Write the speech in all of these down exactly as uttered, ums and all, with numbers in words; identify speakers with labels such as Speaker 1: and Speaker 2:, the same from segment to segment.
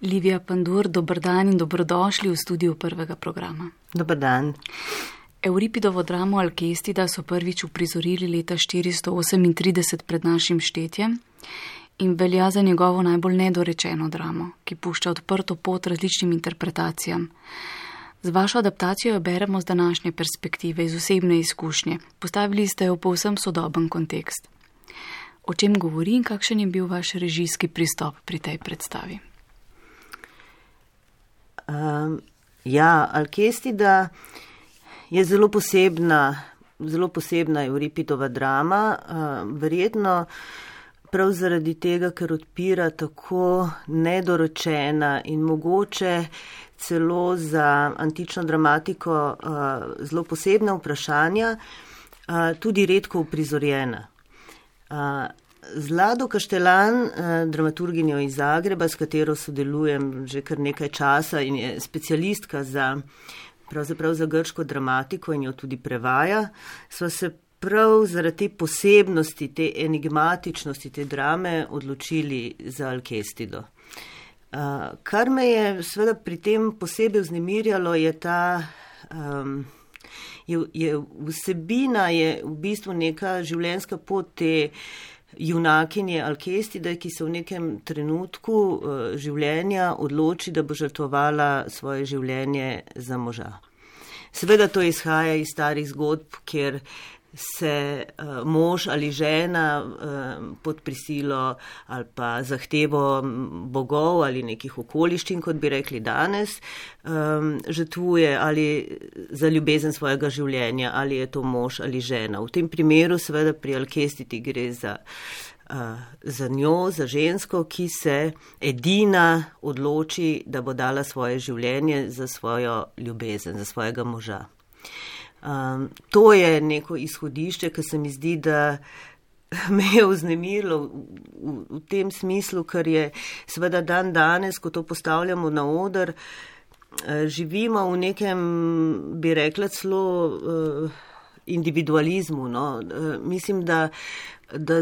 Speaker 1: Livija Pandur, dober dan in dobrodošli v studiu prvega programa.
Speaker 2: Dober dan.
Speaker 1: Euripidovo dramo Alkestida so prvič uprizorili leta štiristo osemintrideset pred našim štetjem in velja za njegovo najbolj nedorečeno dramo, ki pušča odprto pot različnim interpretacijam. Z vašo adaptacijo jo beremo z današnje perspektive, iz osebne izkušnje. Postavili ste jo v povsem sodoben kontekst. O čem govori in kakšen je bil vaš režijski pristop pri tej predstavi?
Speaker 2: Um, ja, Alkestida je zelo posebna, zelo posebna Euripidova drama, uh, verjetno prav zaradi tega, ker odpira tako nedorečena in mogoče celo za antično dramatiko uh, zelo posebna vprašanja, uh, tudi redko uprizorjena. Uh, Zlado Kaštelan, uh, dramaturginjo iz Zagreba, s katero sodelujem že kar nekaj časa in je specialistka za, pravzaprav za grško dramatiko in jo tudi prevaja, sva se prav zaradi te posebnosti, te enigmatičnosti te drame odločili za Alkestido. Uh, kar me je seveda pri tem posebej vznemirjalo, je ta, um, je, je vsebina, je v bistvu neka življenjska pot te junakinje Alkestide, ki se v nekem trenutku uh, življenja odloči, da bo žrtvovala svoje življenje za moža. Seveda to izhaja iz starih zgodb, kjer se uh, mož ali žena uh, pod prisilo ali pa zahtevo bogov ali nekih okoliščin, kot bi rekli danes, um, žrtvuje ali za ljubezen svojega življenja, ali je to mož ali žena. V tem primeru seveda pri Alkestidi gre za, uh, za njo, za žensko, ki se edina odloči, da bo dala svoje življenje za svojo ljubezen, za svojega moža. Um, to je neko izhodišče, ki se mi zdi, da me je vznemirilo v, v, v tem smislu, ker je seveda dan danes, ko to postavljamo na oder, uh, živimo v nekem, bi rekla, celo uh, individualizmu. No? Uh, mislim, da, da,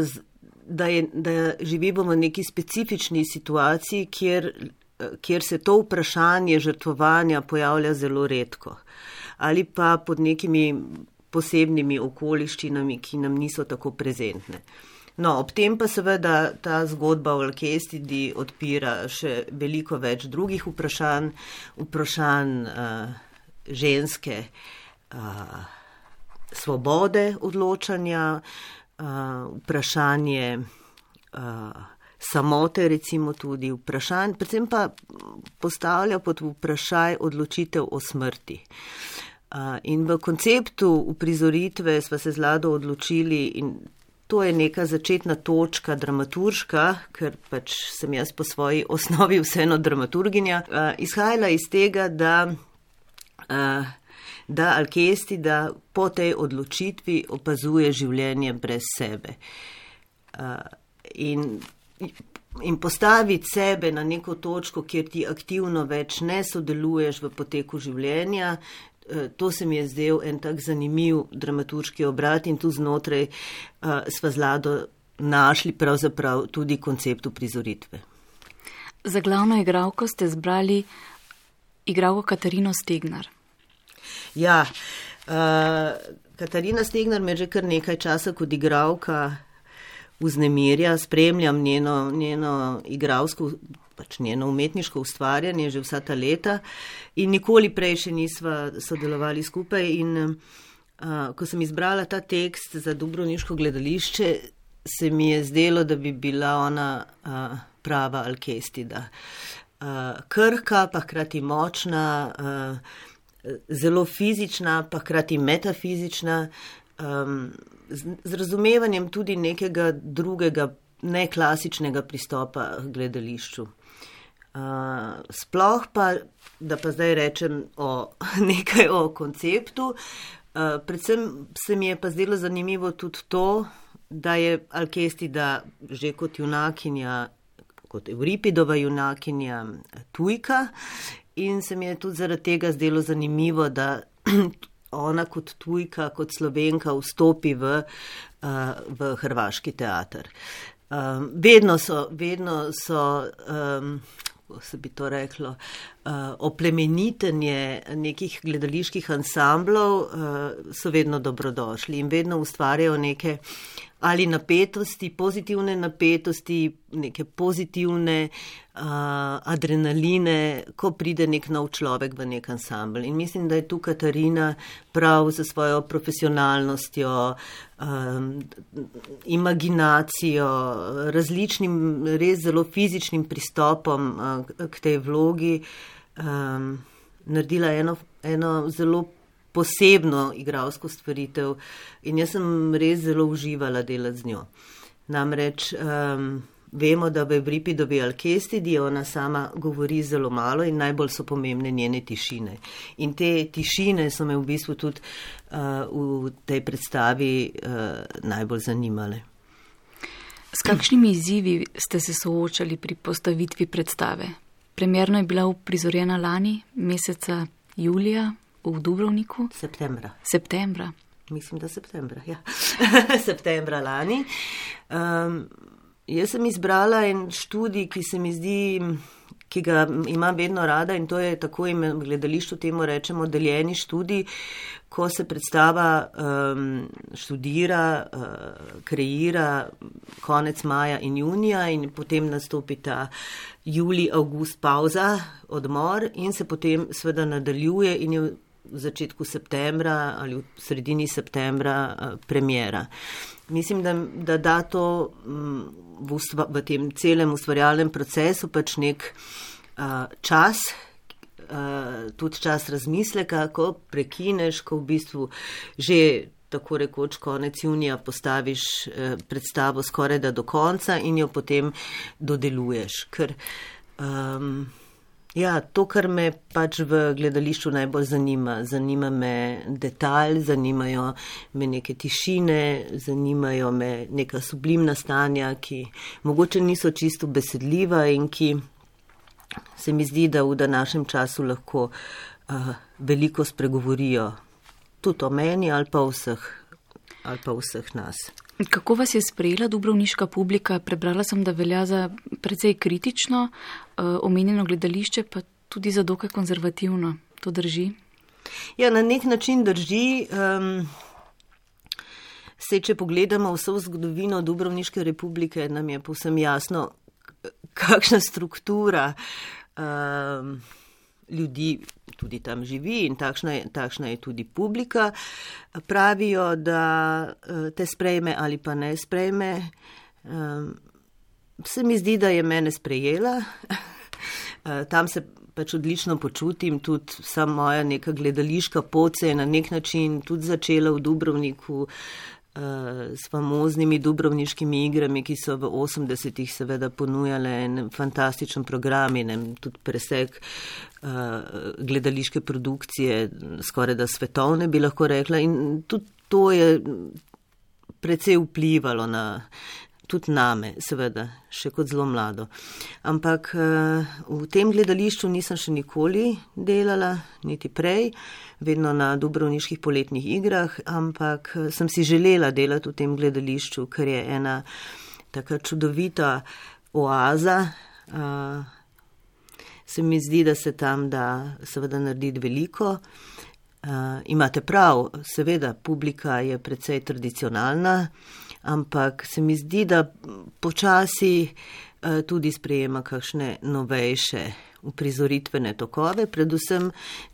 Speaker 2: da, je, da živimo v neki specifični situaciji, kjer, kjer se to vprašanje žrtvovanja pojavlja zelo redko. Ali pa pod nekimi posebnimi okoliščinami, ki nam niso tako prezentne. No, ob tem pa seveda ta zgodba o Alkestidi odpira še veliko več drugih vprašanj, vprašanj uh, ženske uh, svobode odločanja, uh, vprašanje uh, samote, recimo tudi vprašanj, predvsem pa postavlja pod vprašaj odločitev o smrti. Uh, in v konceptu uprizoritve sva se z Lado odločili, in to je neka začetna točka dramaturška, ker pač sem jaz po svoji osnovi vseeno dramaturginja, uh, izhajala iz tega, da, uh, da Alkestida po tej odločitvi opazuje življenje brez sebe. Uh, in In postaviti sebe na neko točko, kjer ti aktivno več ne sodeluješ v poteku življenja, to se mi je zdel en tak zanimiv dramaturški obrat in tu znotraj uh, sva z Lado našli pravzaprav tudi koncept uprizoritve.
Speaker 1: Za glavno igralko ste zbrali igralko Katarino Stegnar.
Speaker 2: Ja, uh, Katarina Stegnar me že kar nekaj časa kot igralka vznemirja, spremljam njeno, njeno igralsko, pač njeno umetniško ustvarjanje že vsa ta leta in nikoli prej še nisva sodelovali skupaj in uh, ko sem izbrala ta tekst za Dubrovniško gledališče, se mi je zdelo, da bi bila ona uh, prava Alkestida. Uh, krhka, pa hkrati močna, uh, zelo fizična, pa hkrati metafizična, um, z, z razumevanjem tudi nekega drugega, neklasičnega pristopa k gledališču. Uh, sploh pa, da pa zdaj rečem o, nekaj o konceptu, uh, predvsem se mi je pa zdelo zanimivo tudi to, da je Alkestida že kot junakinja, kot Euripidova junakinja tujka in se mi je tudi zaradi tega zdelo zanimivo, da ona kot tujka, kot Slovenka vstopi v, uh, v hrvaški teater. Um, vedno so, vedno so um, kako se bi to reklo, oplemenitenje nekih gledaliških ansamblov so vedno dobrodošli in vedno ustvarjajo neke ali napetosti, pozitivne napetosti, neke pozitivne uh, adrenaline, ko pride nek nov človek v nek ansambl. In mislim, da je tu Katarina prav za svojo profesionalnostjo, um, imaginacijo, različnim, res zelo fizičnim pristopom uh, k tej vlogi um, naredila eno, eno zelo posebno igralsko stvaritev in jaz sem res zelo uživala delati z njo. Namreč um, vemo, da v Euripidovi Alkestidi ona sama govori zelo malo in najbolj so pomembne njene tišine. In te tišine so me v bistvu tudi uh, v tej predstavi uh, najbolj zanimale.
Speaker 1: S kakšnimi izzivi ste se soočali pri postavitvi predstave? Premjerno je bila uprizorjena lani, meseca julija, v Dubrovniku?
Speaker 2: Septembra.
Speaker 1: Septembra.
Speaker 2: Mislim, da septembra, ja. Septembra lani. Um, jaz sem izbrala en študij, ki se mi zdi, ki ga imam vedno rada in to je tako in v gledališču temu rečemo deljeni študij, ko se predstava um, študira, uh, kreira konec maja in junija in potem nastopi ta julij, avgust pauza, odmor in se potem seveda nadaljuje in je v začetku septembra ali v sredini septembra uh, premjera. Mislim, da, da da to um, v, ustva, v tem celem ustvarjalnem procesu pač nek uh, čas, uh, tudi čas razmisleka, ko prekineš, ko v bistvu že tako rekoč konec junija postaviš uh, predstavo skoraj da do konca in jo potem dodeluješ. Ker um, Ja, to, kar me pač v gledališču najbolj zanima. Zanima me detalj, zanimajo me neke tišine, zanimajo me neka sublimna stanja, ki mogoče niso čisto besedljiva in ki se mi zdi, da v današnjem času lahko uh, veliko spregovorijo. Tudi o meni ali pa vseh, ali pa vseh nas.
Speaker 1: Kako vas je sprejela dubrovniška publika? Prebrala sem, da velja za precej kritično, omenjeno gledališče, pa tudi za dokaj konzervativno. To drži?
Speaker 2: Ja, na nek način drži. Um, se, če pogledamo vso zgodovino Dubrovniške republike, nam je povsem jasno, kakšna struktura um, ljudi tudi tam živi in takšna je, takšna je tudi publika. Pravijo, da te sprejme ali pa ne sprejme. Um, se mi zdi, da je mene sprejela. Tam se pač odlično počutim, tudi vsa moja neka gledališka pot se je na nek način tudi začela v Dubrovniku s famoznimi dubrovniškimi igrami, ki so v osemdesetih seveda ponujale en fantastičen program in tudi presek uh, gledališke produkcije, skoraj da svetovne bi lahko rekla. In tudi to je precej vplivalo na, tudi name, seveda, še kot zelo mlado. Ampak uh, v tem gledališču nisem še nikoli delala, niti prej, vedno na dubrovniških poletnih igrah, ampak sem si želela delati v tem gledališču, ker je ena taka čudovita oaza. Uh, se mi zdi, da se tam da seveda narediti veliko. Uh, imate prav, seveda, publika je precej tradicionalna, ampak se mi zdi, da počasi uh, tudi sprejema kakšne novejše uprizoritvene tokove, predvsem,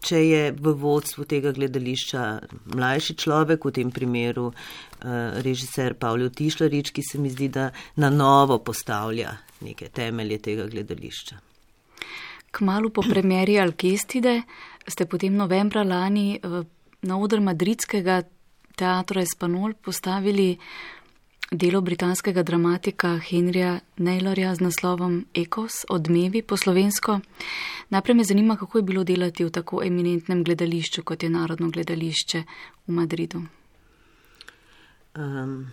Speaker 2: če je v vodstvu tega gledališča mlajši človek, v tem primeru uh, režiser Pavle Tišlarič, ki se mi zdi, da na novo postavlja neke temelje tega gledališča.
Speaker 1: Kmalu po premjeri Alkestide ste potem novembra lani uh, na oder madridskega teatra Espanol postavili delo britanskega dramatika Henryja Naylorja z naslovom Ekos, Odmevi po slovensko. Najprej me zanima, kako je bilo delati v tako eminentnem gledališču, kot je Narodno gledališče v Madridu.
Speaker 2: Um,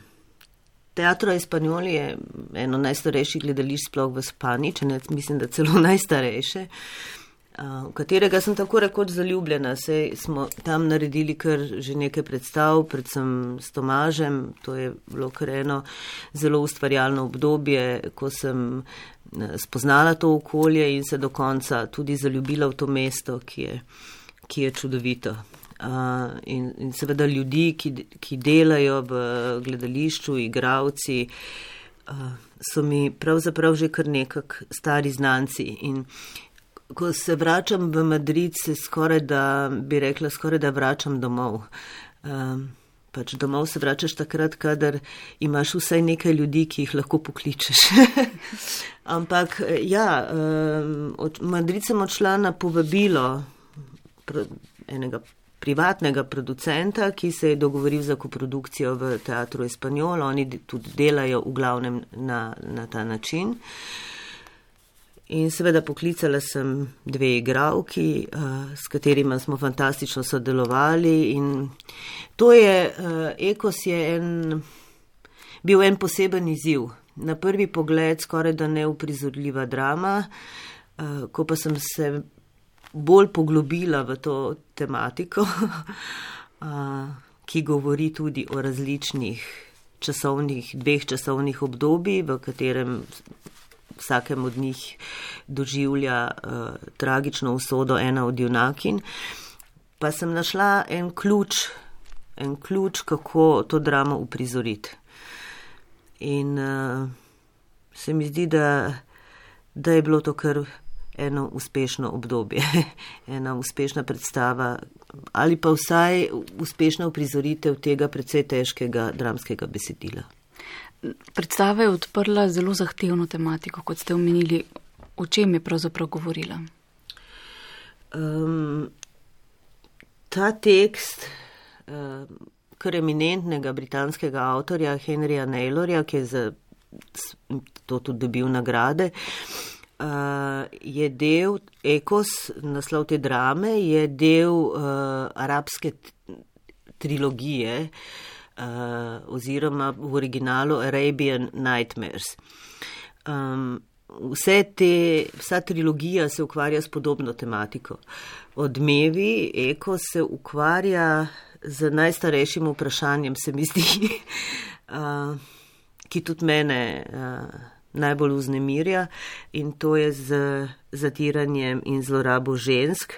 Speaker 2: Teatro Espanol je eno najstarejših gledališč sploh v Španiji, če ne mislim, da celo najstarejše, v katerega sem tako rekoč zaljubljena. Sej smo tam naredili kar že nekaj predstav, predvsem s Tomažem. To je bilo kar eno zelo ustvarjalno obdobje, ko sem spoznala to okolje in se do konca tudi zaljubila v to mesto, ki je, ki je čudovito. Uh, in, in seveda ljudi, ki, ki delajo v gledališču, igravci, uh, so mi pravzaprav že kar nekak stari znanci. In ko se vračam v Madrid, se skoraj da, bi rekla, skoraj da vračam domov. Uh, pač domov se vračaš takrat, kadar imaš vsaj nekaj ljudi, ki jih lahko pokličeš. Ampak ja, uh, od Madrid sem odšla na povabilo pr- enega privatnega producenta, ki se je dogovoril za koprodukcijo v Teatru Espanjol. Oni tudi delajo v glavnem na, na ta način. In seveda poklicala sem dve igralki, uh, s katerima smo fantastično sodelovali. In to je, uh, Ekos je en, bil en poseben izziv. Na prvi pogled skoraj da neuprizorljiva drama, uh, ko pa sem se bolj poglobila v to tematiko, ki govori tudi o različnih časovnih, dveh časovnih obdobij, v katerem vsakem od njih doživlja uh, tragično usodo ena od junakinj, pa sem našla en ključ, en ključ, kako to dramo uprizoriti. In uh, se mi zdi, da, da je bilo to kar eno uspešno obdobje, ena uspešna predstava ali pa vsaj uspešna uprizoritev tega precej težkega dramskega besedila.
Speaker 1: Predstava je odprla zelo zahtevno tematiko, kot ste omenili. O čem je pravzaprav govorila?
Speaker 2: Um, ta tekst uh, kar eminentnega britanskega avtorja Henryja Naylorja, ki je za to tudi dobil nagrade, Uh, je del, Ekos, naslov te drame, je del uh, arabske trilogije uh, oziroma v originalu Arabian Nightmares. Um, vse te, vsa trilogija se ukvarja s podobno tematiko. Odmevi, Ekos se ukvarja z najstarejšim vprašanjem, se mi zdi, uh, ki tudi mene uh, najbolj vznemirja, in to je z zatiranjem in zlorabo žensk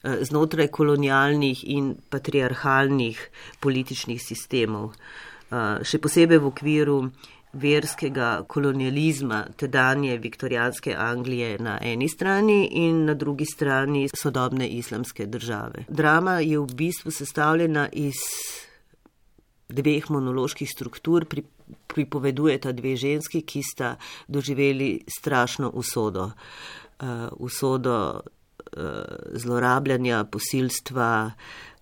Speaker 2: znotraj kolonialnih in patriarhalnih političnih sistemov. Še posebej v okviru verskega kolonializma tedanje viktorijanske Anglije na eni strani in na drugi strani sodobne islamske države. Drama je v bistvu sestavljena iz dveh monoloških struktur, pri, pripovedujeta dve ženski, ki sta doživeli strašno usodo. Uh, usodo uh, zlorabljanja, posilstva,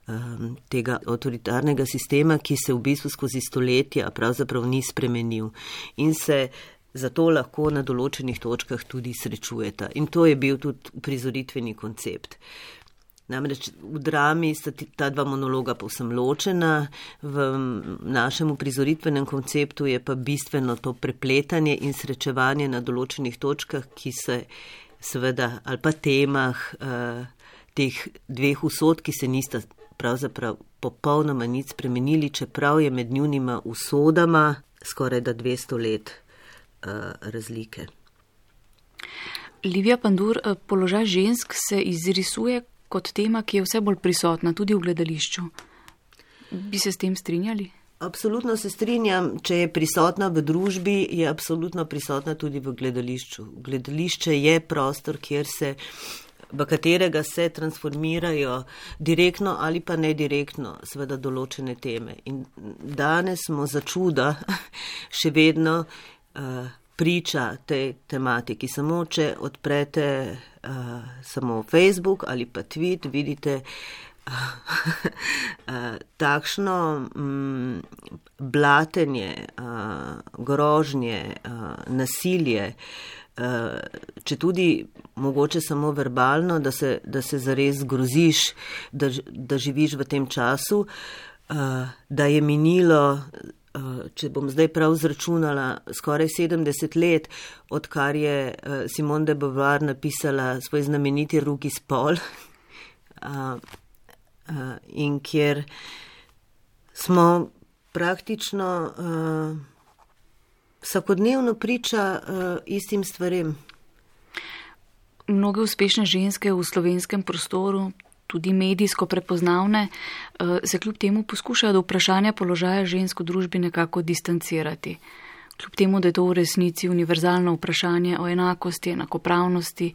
Speaker 2: um, tega avtoritarnega sistema, ki se v bistvu skozi stoletja pravzaprav ni spremenil in se zato lahko na določenih točkah tudi srečujeta. In to je bil tudi prizoritveni koncept. Namreč v drami sta ta dva monologa povsem ločena, v našem prizoritvenem konceptu je pa bistveno to prepletanje in srečevanje na določenih točkah, ki se seveda, ali pa temah eh, teh dveh usod, ki se nista pravzaprav popolnoma nič spremenili, čeprav je med njunima usodama skoraj da dvesto let eh, razlike.
Speaker 1: Livija Pandur, položaj žensk se izrisuje kot tema, ki je vse bolj prisotna tudi v gledališču. Bi se s tem strinjali?
Speaker 2: Absolutno se strinjam. Če je prisotna v družbi, je absolutno prisotna tudi v gledališču. Gledališče je prostor, kjer se, v katerega se transformirajo direktno ali pa nedirektno seveda določene teme. In danes smo za čuda še vedno uh, priča tej tematiki. Samo če odprete uh, samo Facebook ali pa tweet, vidite uh, uh, takšno um, blatenje, uh, grožnje, uh, nasilje, uh, če tudi mogoče samo verbalno, da se, da se zares groziš, da, da živiš v tem času, uh, da je minilo, če bom zdaj prav zračunala, skoraj sedemdeset let, odkar je Simone de Beauvoir napisala svoj znameniti Drugi spol, in kjer smo praktično vsakodnevno priča istim stvarem.
Speaker 1: mnoge uspešne ženske v slovenskem prostoru, tudi medijsko prepoznavne, se kljub temu poskušajo do vprašanja položaja žensk v družbi nekako distancirati. Kljub temu, da je to v resnici univerzalno vprašanje o enakosti, enakopravnosti,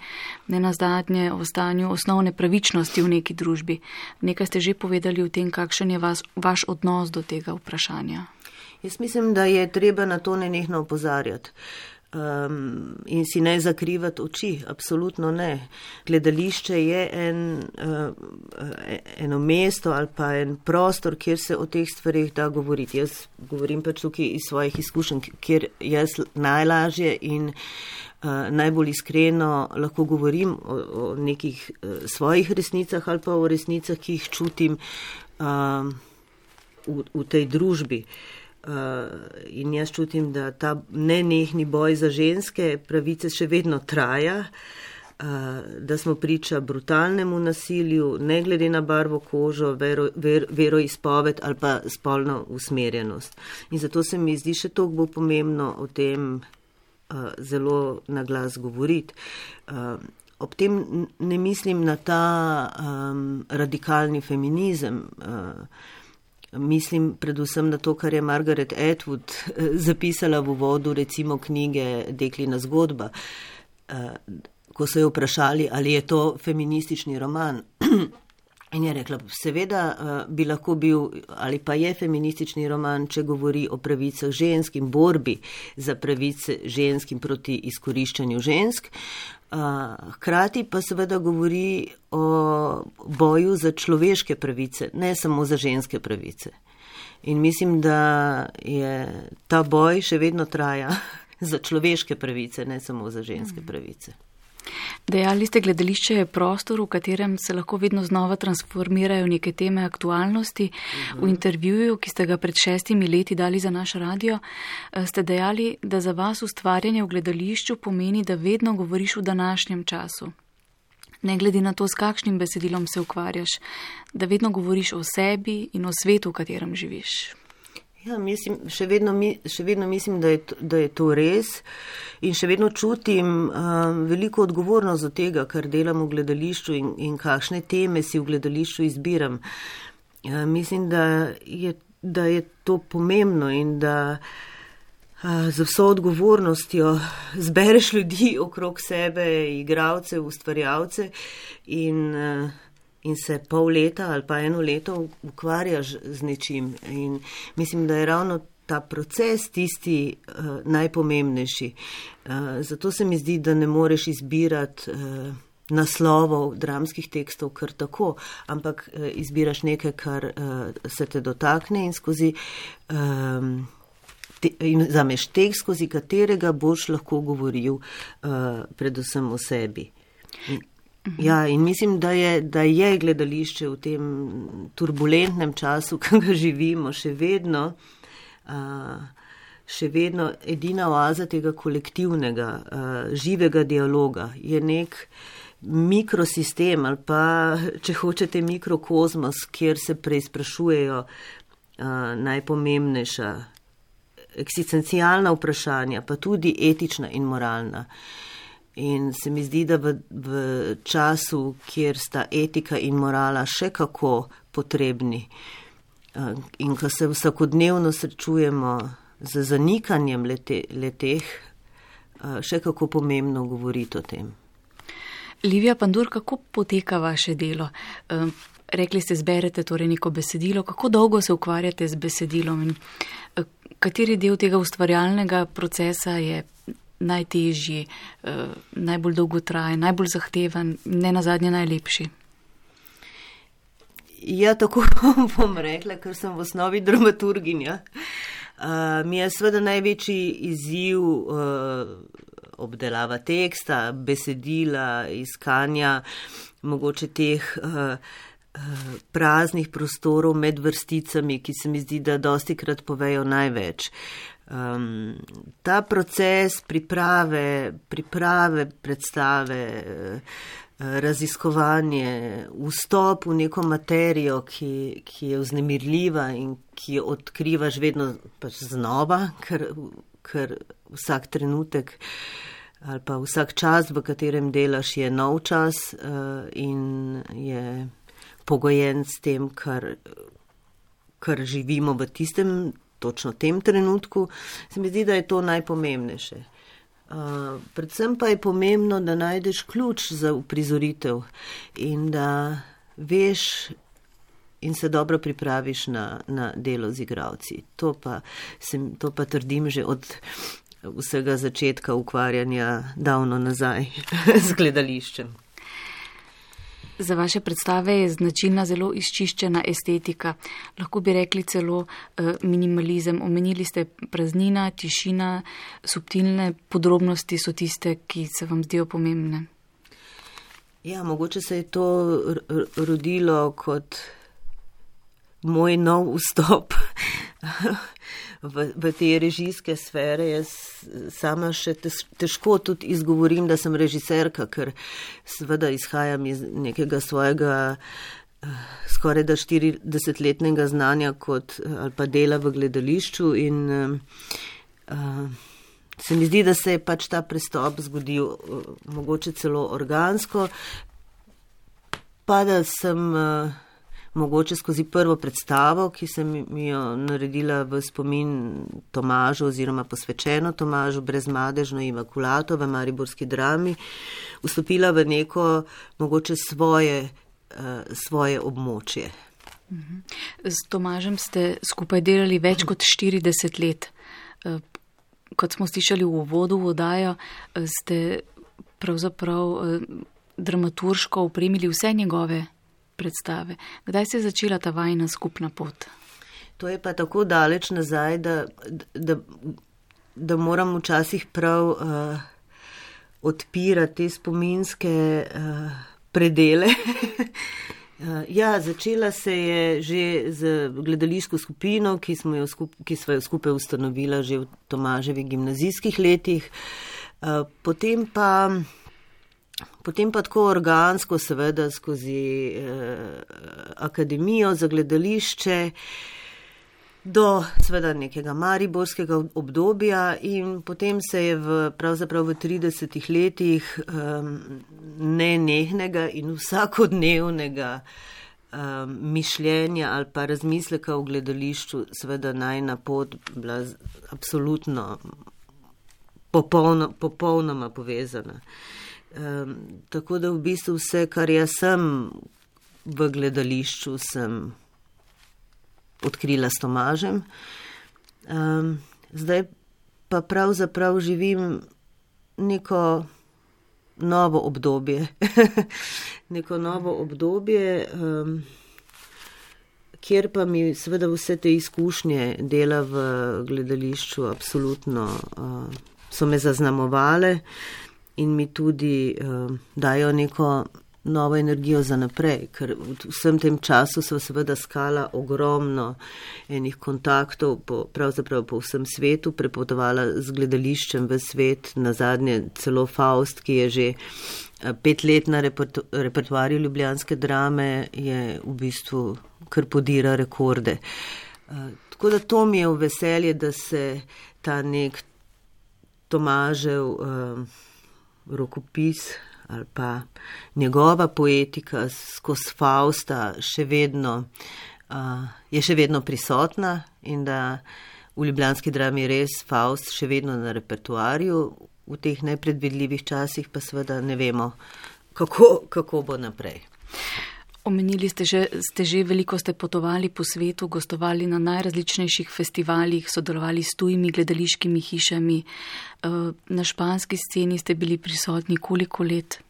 Speaker 1: nenazadnje o stanju osnovne pravičnosti v neki družbi. Nekaj ste že povedali o tem, kakšen je vas, vaš odnos do tega vprašanja.
Speaker 2: Jaz mislim, da je treba na to nenehno opozarjati. Um, in si ne zakrivati oči, absolutno ne. Gledališče je en, uh, eno mesto ali pa en prostor, kjer se o teh stvarih da govoriti. Jaz govorim pač tukaj iz svojih izkušenj, kjer jaz najlažje in uh, najbolj iskreno lahko govorim o, o nekih uh, svojih resnicah ali pa o resnicah, ki jih čutim uh, v, v tej družbi. Uh, in jaz čutim, da ta nenehni boj za ženske pravice še vedno traja, uh, da smo priča brutalnemu nasilju, ne glede na barvo kožo, vero, ver, veroizpoved ali pa spolno usmerjenost. In zato se mi zdi še toliko bolj pomembno o tem uh, zelo na glas govoriti. Uh, ob tem ne mislim na ta um, radikalni feminizem, uh, mislim predvsem na to, kar je Margaret Atwood zapisala v uvodu recimo knjige Deklina zgodba, ko so jo vprašali, ali je to feministični roman. In je rekla, seveda bi lahko bil, ali pa je feministični roman, če govori o pravicah žensk in borbi za pravice žensk in proti izkoriščanju žensk. Hkrati pa seveda govori o boju za človeške pravice, ne samo za ženske pravice. In mislim, da je ta boj še vedno traja za človeške pravice, ne samo za ženske pravice.
Speaker 1: Dejali ste, gledališče je prostor, v katerem se lahko vedno znova transformirajo neke teme aktualnosti. Uh-huh. V intervjuju, ki ste ga pred šestimi leti dali za naš radio, ste dejali, da za vas ustvarjanje v gledališču pomeni, da vedno govoriš v današnjem času. Ne glede na to, s kakšnim besedilom se ukvarjaš, da vedno govoriš o sebi in o svetu, v katerem živiš.
Speaker 2: Ja, mislim, še vedno, še vedno mislim, da je, to, da je to res in še vedno čutim um, veliko odgovornost do tega, kar delam v gledališču in, in kakšne teme si v gledališču izbiram. Ja, mislim, da je, da je to pomembno in da uh, z vso odgovornostjo zbereš ljudi okrog sebe, igralce, ustvarjalce in uh, in se pol leta ali pa eno leto ukvarjaš z nečim. In mislim, da je ravno ta proces tisti uh, najpomembnejši. Uh, zato se mi zdi, da ne moreš izbirati uh, naslovov dramskih tekstov kar tako, ampak uh, izbiraš nekaj, kar uh, se te dotakne in skozi um, te, in zameš tekst, skozi katerega boš lahko govoril uh, predvsem o sebi. In, Ja, in mislim, da je, da je gledališče v tem turbulentnem času, ki ga živimo, še vedno, uh, še vedno edina oaza tega kolektivnega, uh, živega dialoga. Je nek mikrosistem ali pa, če hočete, mikrokozmos, kjer se preizprašujejo uh, najpomembnejša eksistencialna vprašanja, pa tudi etična in moralna. In se mi zdi, da v, v času, kjer sta etika in morala še kako potrebni in ko se vsakodnevno srečujemo z zanikanjem lete, leteh, še kako pomembno govoriti o tem.
Speaker 1: Livija Pandur, kako poteka vaše delo? Rekli ste, zberete torej neko besedilo. Kako dolgo se ukvarjate z besedilom in kateri del tega ustvarjalnega procesa je najtežji, eh, najbolj dolgotrajen, najbolj zahteven, ne nazadnje najlepši?
Speaker 2: Ja, tako bom rekla, ker sem v osnovi dramaturginja. Uh, mi je seveda največji izziv uh, obdelava teksta, besedila, iskanja mogoče teh uh, uh, praznih prostorov med vrsticami, ki se mi zdi, da dostikrat povejo največ. Um, ta proces priprave, priprave predstave, raziskovanje, vstop v neko materijo, ki, ki je vznemirljiva in ki jo odkrivaš vedno pač znova, ker, ker vsak trenutek ali pa vsak čas, v katerem delaš, je nov čas uh, in je pogojen s tem, kar, kar živimo v tistem, točno tem trenutku. Se mi zdi, da je to najpomembnejše. Uh, predvsem pa je pomembno, da najdeš ključ za uprizoritev in da veš in se dobro pripraviš na, na delo z igralci. To pa, sem, to pa trdim že od vsega začetka ukvarjanja davno nazaj z gledališčem.
Speaker 1: Za vaše predstave je značilna zelo izčiščena estetika. Lahko bi rekli celo uh, minimalizem. Omenili ste praznina, tišina, subtilne podrobnosti so tiste, ki se vam zdijo pomembne.
Speaker 2: Ja, mogoče se je to rodilo kot moj nov vstop v, v te režijske sfere. Jaz sama še težko tudi izgovorim, da sem režiserka, ker seveda izhajam iz nekega svojega skoraj da štiridesetletnega znanja kot, ali pa dela v gledališču in uh, se mi zdi, da se je pač ta prestop zgodil uh, mogoče celo organsko, pa da sem uh, mogoče skozi prvo predstavo, ki sem jo naredila v spomin Tomažu oziroma posvečeno Tomažu, Brezmadežno imakulato v mariborski drami, vstopila v neko mogoče svoje, uh, svoje območje.
Speaker 1: S Tomažem ste skupaj delali več kot štirideset let. Kot smo slišali v uvodu v oddajo, ste pravzaprav dramaturško opremili vse njegove predstave. Kdaj se je začela ta vajina skupna pot?
Speaker 2: To je pa tako daleč nazaj, da, da, da moram včasih prav uh, odpirati te spominske uh, predele. uh, ja, začela se je že z gledališko skupino, ki smo jo, skup, ki smo jo skupaj ustanovila že v Tomaževih gimnazijskih letih. Uh, potem pa Potem pa tako organsko, seveda skozi eh, akademijo za gledališče do seveda nekega mariborskega obdobja in potem se je v, pravzaprav v tridesetih letih eh, nenehnega in vsakodnevnega eh, mišljenja ali pa razmisleka o gledališču seveda najina pot bila absolutno popolno, popolnoma povezana. Um, tako da v bistvu vse, kar jaz sem v gledališču, sem odkrila s Tomažem. Um, zdaj pa pravzaprav živim neko novo obdobje. neko novo obdobje, um, kjer pa mi seveda vse te izkušnje dela v gledališču absolutno uh, so me zaznamovale. In mi tudi uh, dajo neko novo energijo za naprej, ker v vsem tem času so seveda skala ogromno enih kontaktov, po, pravzaprav po vsem svetu, prepotovala z gledališčem v svet, nazadnje celo Faust, ki je že pet let na repertu, repertoarju ljubljanske drame, je v bistvu kar podira rekorde. Uh, tako da to mi je v veselje, da se ta nek Tomažev uh, rokopis ali pa njegova poetika skozi Fausta še vedno, uh, je še vedno prisotna in da v ljubljanski drami res Faust še vedno na repertoarju, v teh nepredvidljivih časih pa seveda ne vemo, kako, kako bo naprej.
Speaker 1: Omenili ste že, ste že veliko ste potovali po svetu, gostovali na najrazličnejših festivalih, sodelovali s tujimi gledališkimi hišami. Na španski sceni ste bili prisotni koliko let?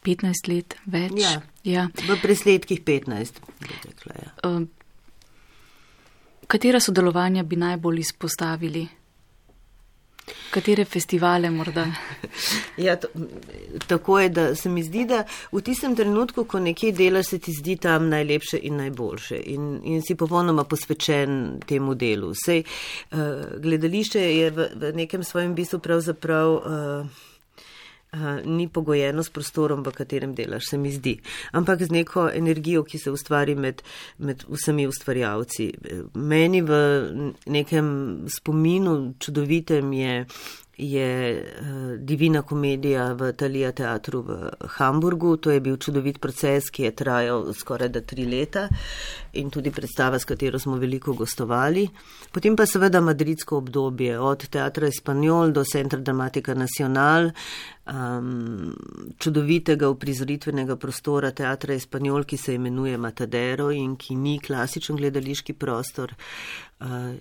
Speaker 1: petnajst let? Več?
Speaker 2: Ja,
Speaker 1: ja.
Speaker 2: V presledkih petnajst. Rekla, ja.
Speaker 1: Katera sodelovanja bi najbolj izpostavili? Katere festivale morda?
Speaker 2: Ja, to, tako je, da se mi zdi, da v tistem trenutku, ko nekje delaš, se ti zdi tam najlepše in najboljše in, in si popolnoma posvečen temu delu. Sej, uh, gledališče je v, v nekem svojem bistvu pravzaprav uh, uh, ni pogojeno s prostorom, v katerem delaš, se mi zdi, ampak z neko energijo, ki se ustvari med, med vsemi ustvarjalci. Meni v nekem spominu čudovitem je je uh, Divina komedija v Thalia teatru v Hamburgu. To je bil čudovit proces, ki je trajal skoraj da tri leta in tudi predstava, s katero smo veliko gostovali. Potem pa seveda madridsko obdobje, od Teatra Espanol do Centra Dramatica Nacional, um, čudovitega uprizoritvenega prostora Teatra Espanol, ki se imenuje Matadero in ki ni klasičen gledališki prostor. Uh,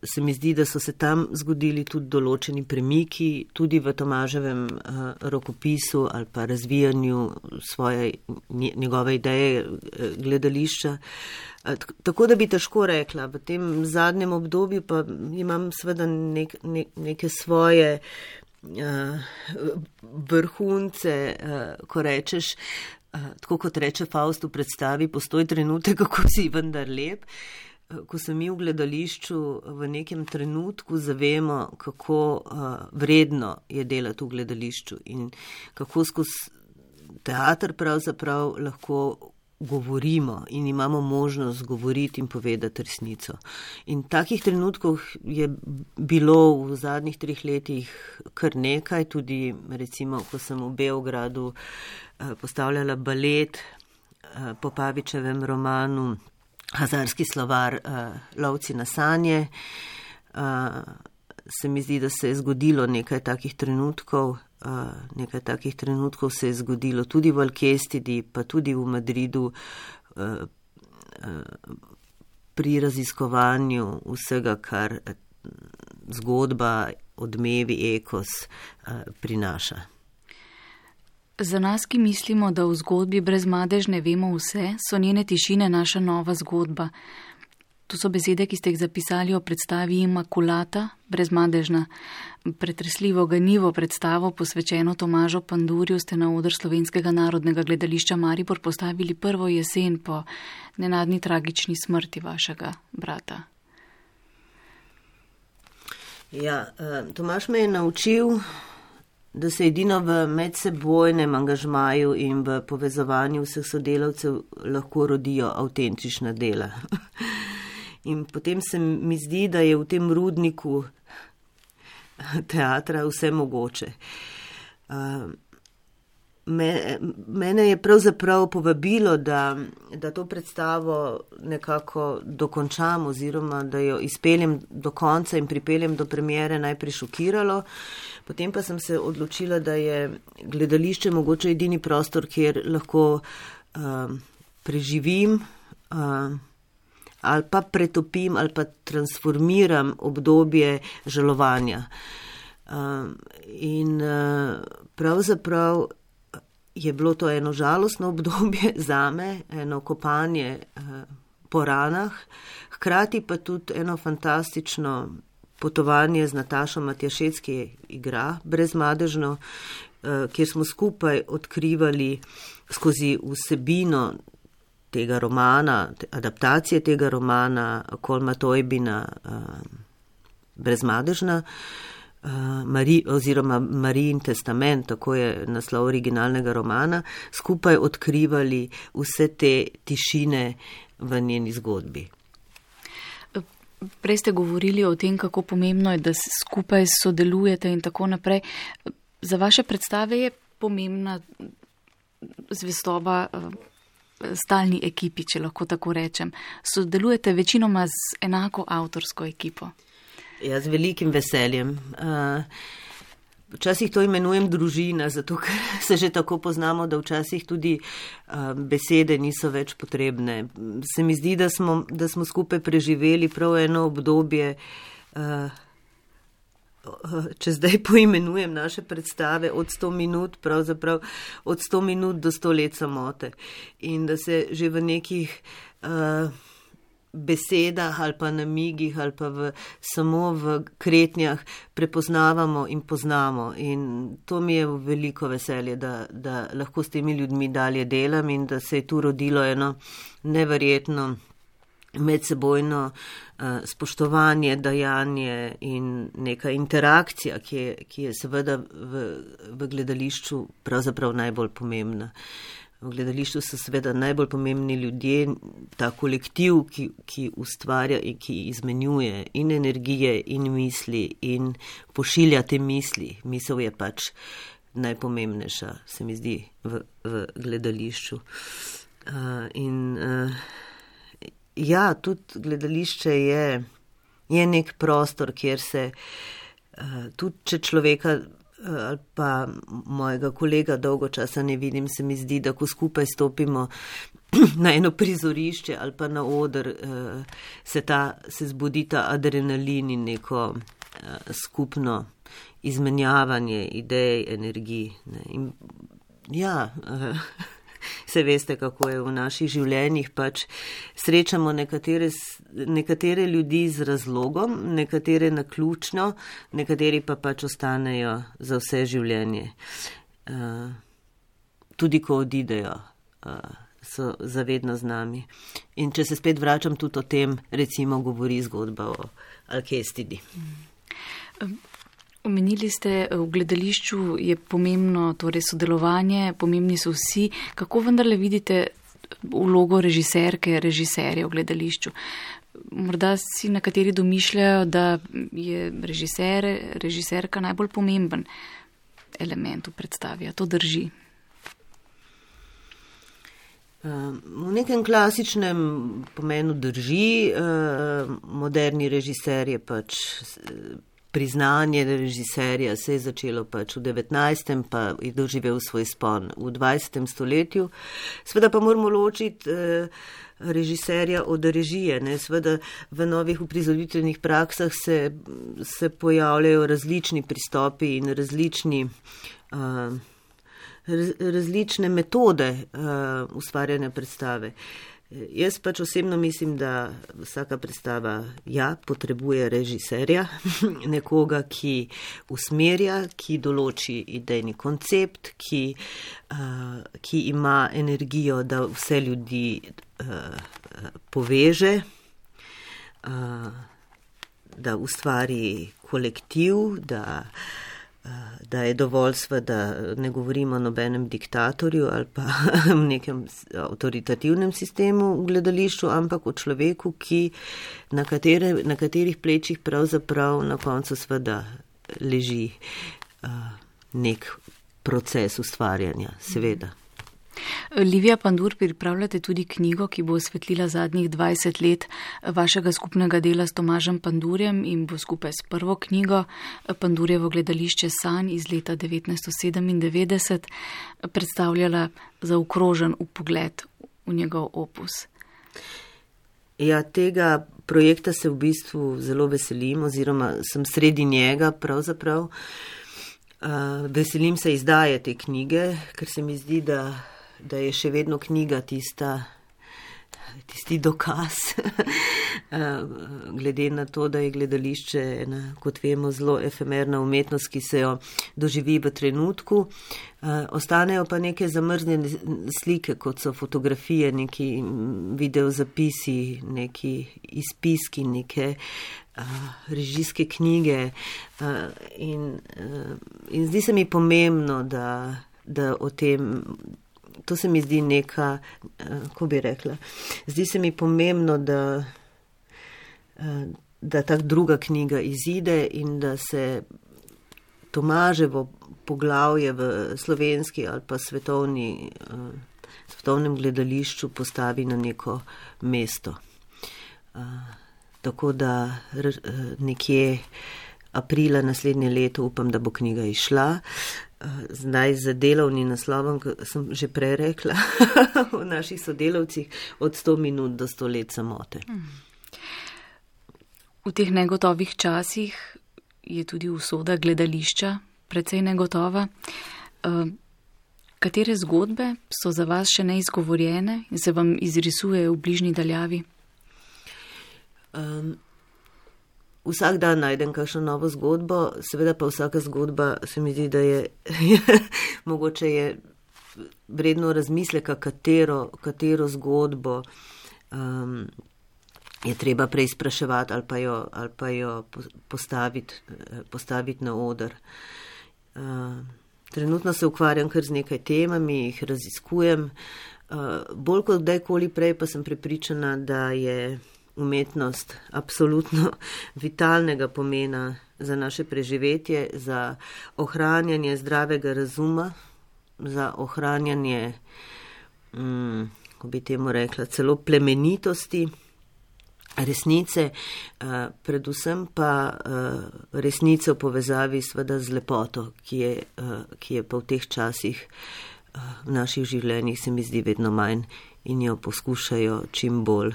Speaker 2: se mi zdi, da so se tam zgodili tudi določeni premiki, tudi v Tomaževem uh, rokopisu ali pa razvijanju svoje, njegove ideje uh, gledališča. Uh, tako da bi težko rekla, v tem zadnjem obdobju pa imam seveda nek, ne, neke svoje uh, vrhunce, uh, ko rečeš, uh, tako kot reče Faust v predstavi, postoj trenutek, kako si vendar lep. Ko se mi v gledališču v nekem trenutku zavemo, kako uh, vredno je delati v gledališču in kako skozi teater pravzaprav lahko govorimo in imamo možnost govoriti in povedati resnico. In takih trenutkov je bilo v zadnjih treh letih kar nekaj, tudi recimo, ko sem v Beogradu uh, postavljala balet uh, po Pavičevem romanu Hazarski slovar uh, Lovci na sanje. Uh, se mi zdi, da se je zgodilo nekaj takih trenutkov, uh, nekaj takih trenutkov se je zgodilo tudi v Alkestidi, pa tudi v Madridu, uh, uh, pri raziskovanju vsega, kar zgodba, odmevi, ekos uh, prinaša.
Speaker 1: Za nas, ki mislimo, da v zgodbi Brezmadežne vemo vse, so njene tišine naša nova zgodba. To so besede, ki ste jih zapisali o predstavi Imakulata, Brezmadežna. Pretresljivo ganivo predstavo, posvečeno Tomažu Pandurju, ste na oder Slovenskega narodnega gledališča Maribor postavili prvo jesen po nenadni tragični smrti vašega brata.
Speaker 2: Ja, Tomaž me je naučil, da se edino v medsebojnem angažmaju in v povezovanju vseh sodelavcev lahko rodijo avtentična dela. In potem se mi zdi, da je v tem rudniku teatra vse mogoče. Mene je pravzaprav povabilo, da, da to predstavo nekako dokončam oziroma da jo izpeljem do konca in pripeljem do premiere, najprej šokiralo. Potem pa sem se odločila, da je gledališče mogoče edini prostor, kjer lahko uh, preživim uh, ali pa pretopim ali pa transformiram obdobje žalovanja. Uh, in uh, pravzaprav je bilo to eno žalostno obdobje zame, eno kopanje uh, po ranah, hkrati pa tudi eno fantastično potovanje z Natašo Matjašec, ki igra Brezmadežno, uh, kjer smo skupaj odkrivali skozi vsebino tega romana, adaptacije tega romana Kolma Tojbina uh, Brezmadežna, Uh, Mari, oziroma Marijin testament, tako je naslov originalnega romana, skupaj odkrivali vse te tišine v njeni zgodbi.
Speaker 1: Prej ste govorili o tem, kako pomembno je, da skupaj sodelujete in tako naprej. Za vaše predstave je pomembna zvestoba stalni ekipi, če lahko tako rečem. Sodelujete večinoma z enako avtorsko ekipo?
Speaker 2: Ja, z velikim veseljem. Včasih to imenujem družina, zato ker se že tako poznamo, da včasih tudi besede niso več potrebne. Se mi zdi, da smo, da smo skupaj preživeli prav eno obdobje, če zdaj poimenujem naše predstave, od sto minut, pravzaprav od sto minut do sto let samote. In da se že v nekih besedah ali pa namigih ali pa v, samo v kretnjah prepoznavamo in poznamo. In to mi je veliko veselje, da, da lahko s temi ljudmi dalje delam in da se je tu rodilo eno neverjetno medsebojno uh, spoštovanje, dajanje in neka interakcija, ki je, ki je seveda v, v gledališču pravzaprav najbolj pomembna. V gledališču so seveda najbolj pomembni ljudje, ta kolektiv, ki, ki ustvarja in ki izmenjuje in energije in misli in pošilja te misli. Misel je pač najpomembnejša, se mi zdi, v, v gledališču. Uh, in uh, ja, tudi gledališče je, je nek prostor, kjer se uh, tudi če človeka ali pa mojega kolega dolgo časa ne vidim, se mi zdi, da ko skupaj stopimo na eno prizorišče ali pa na oder, se, ta, se zbudi ta adrenalin in neko skupno izmenjavanje idej, energij. Ne. In ja, se veste, kako je v naših življenjih, pač srečamo nekatere, nekatere ljudi z razlogom, nekatere naključno, nekateri pa pač ostanejo za vse življenje. Uh, tudi ko odidejo, uh, so zavedno z nami. In če se spet vračam tudi o tem, recimo govori zgodba o Alkestidi.
Speaker 1: Um. Omenili ste, v gledališču je pomembno torej sodelovanje, pomembni so vsi. Kako vendarle vidite vlogo režiserke, režiserja v gledališču? Morda si nekateri domišljajo, da je režiser, režiserka najbolj pomemben element v predstavi. To drži?
Speaker 2: V nekem klasičnem pomenu drži. Moderni režiser je pač... Priznanje režiserja se je začelo pač v devetnajstem, pa je doživel svoj spon v dvajsetem stoletju. Sveda pa moramo ločiti eh, režiserja od režije. Ne? Sveda v novih uprizoritvenih praksah se, se pojavljajo različni pristopi in različni, uh, raz, različne metode uh, ustvarjanja predstave. Jaz pač osebno mislim, da vsaka predstava ja, potrebuje režiserja, nekoga, ki usmerja, ki določi idejni koncept, ki, uh, ki ima energijo, da vse ljudi uh, poveže, uh, da ustvari kolektiv, da da je dovolj sveda, ne govorimo o nobenem diktatorju ali pa v nekem avtoritativnem sistemu v gledališču, ampak o človeku, ki, na, katere, na katerih plečih pravzaprav na koncu sveda leži uh, nek proces ustvarjanja, seveda.
Speaker 1: Livija Pandur, pripravljate tudi knjigo, ki bo osvetlila zadnjih dvajset let vašega skupnega dela s Tomažem Pandurjem in bo skupaj s prvo knjigo Pandurjevo gledališče sanj iz leta devetnajststo sedemindevetdeset predstavljala zaokrožen vpogled v njegov opus.
Speaker 2: Ja, tega projekta se v bistvu zelo veselim, oziroma sem sredi njega pravzaprav. Uh, veselim se izdaje te knjige, ker se mi zdi, da da je še vedno knjiga tista, tisti dokaz, glede na to, da je gledališče ena, kot vemo, zelo efemerna umetnost, ki se jo doživi v trenutku. Ostanejo pa neke zamrznjene slike, kot so fotografije, neki videozapisi, neki izpiski, neke režijske knjige. In, in zdi se mi pomembno, da, da o tem... To se mi zdi neka, kako bi rekla, zdi se mi pomembno, da, da ta druga knjiga izide in da se Tomaževo poglavje v slovenski ali pa svetovni, svetovnem gledališču postavi na neko mesto. Tako da nekje aprila naslednje leto upam, da bo knjiga izšla. Zdaj za delovni naslovom, sem že prej rekla, v naših sodelavcih od sto minut do sto let samote.
Speaker 1: V teh negotovih časih je tudi usoda gledališča precej negotova. Katere zgodbe so za vas še neizgovorjene in se vam izrisujejo v bližnji daljavi?
Speaker 2: Um, Vsak dan najdem kakšno novo zgodbo, seveda pa vsaka zgodba se mi zdi, da je, mogoče je vredno razmisleka, katero, katero zgodbo um, je treba preizpraševati ali pa jo, ali pa jo postaviti, postaviti na oder. Uh, Trenutno se ukvarjam kar z nekaj temami, jih raziskujem. Bolj kot kdajkoli prej pa sem prepričana, da je umetnost absolutno vitalnega pomena za naše preživetje, za ohranjanje zdravega razuma, za ohranjanje, mm, ko bi temu rekla, celo plemenitosti, resnice, predvsem pa resnice v povezavi sveda z lepoto, ki je, ki je pa v teh časih v naših življenjih se mi zdi vedno manj in jo poskušajo čim bolj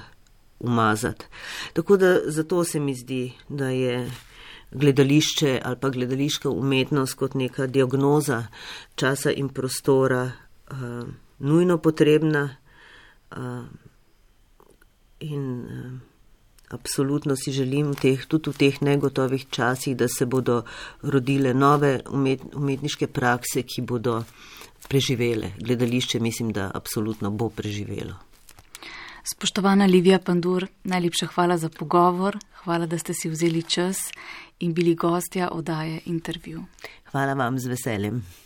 Speaker 2: umazati. Tako da zato se mi zdi, da je gledališče ali pa gledališka umetnost kot neka diagnoza časa in prostora uh, nujno potrebna uh, in uh, absolutno si želim v teh, tudi v teh negotovih časih, da se bodo rodile nove umet, umetniške prakse, ki bodo preživele. Gledališče mislim, da absolutno bo preživelo.
Speaker 1: Spoštovana Livija Pandur, najlepša hvala za pogovor, hvala, da ste si vzeli čas in bili gostja oddaje Intervju.
Speaker 2: Hvala vam, z veseljem.